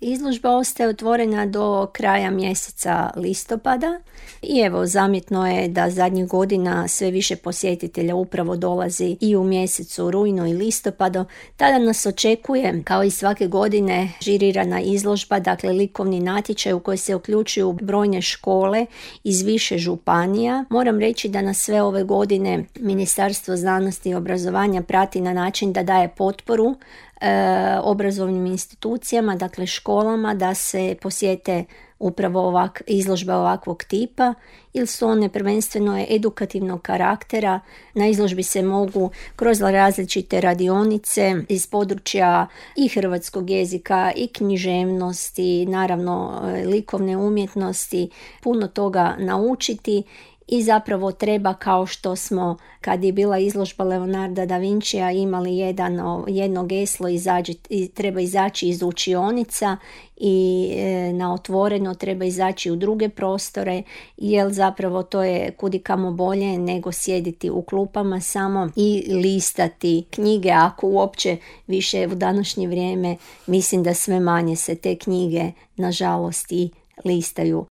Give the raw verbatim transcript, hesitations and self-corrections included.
Izložba ostaje otvorena do kraja mjeseca listopada i evo zamjetno je da zadnjih godina sve više posjetitelja upravo dolazi i u mjesecu rujnu i listopadu. Tada nas očekuje, kao i svake godine, žirirana izložba, dakle likovni natječaj u koji se uključuju brojne škole iz više županija. Moram reći da nas sve ove godine Ministarstvo znanosti i obrazovanja prati na način da daje potporu e, obrazovnim institucijama, dakle školama, da se posjete upravo ovak, izložbe ovakvog tipa, ili su one prvenstveno edukativnog karaktera. Na izložbi se mogu kroz različite radionice iz područja i hrvatskog jezika i književnosti, naravno likovne umjetnosti, puno toga naučiti. I zapravo treba, kao što smo kad je bila izložba Leonarda da Vincija imali jedan, jedno geslo, izađi, treba izaći iz učionica i e, na otvoreno treba izaći u druge prostore, jer zapravo to je kudikamo bolje nego sjediti u klupama samo i listati knjige, ako uopće više u današnje vrijeme mislim da sve manje se te knjige nažalost i listaju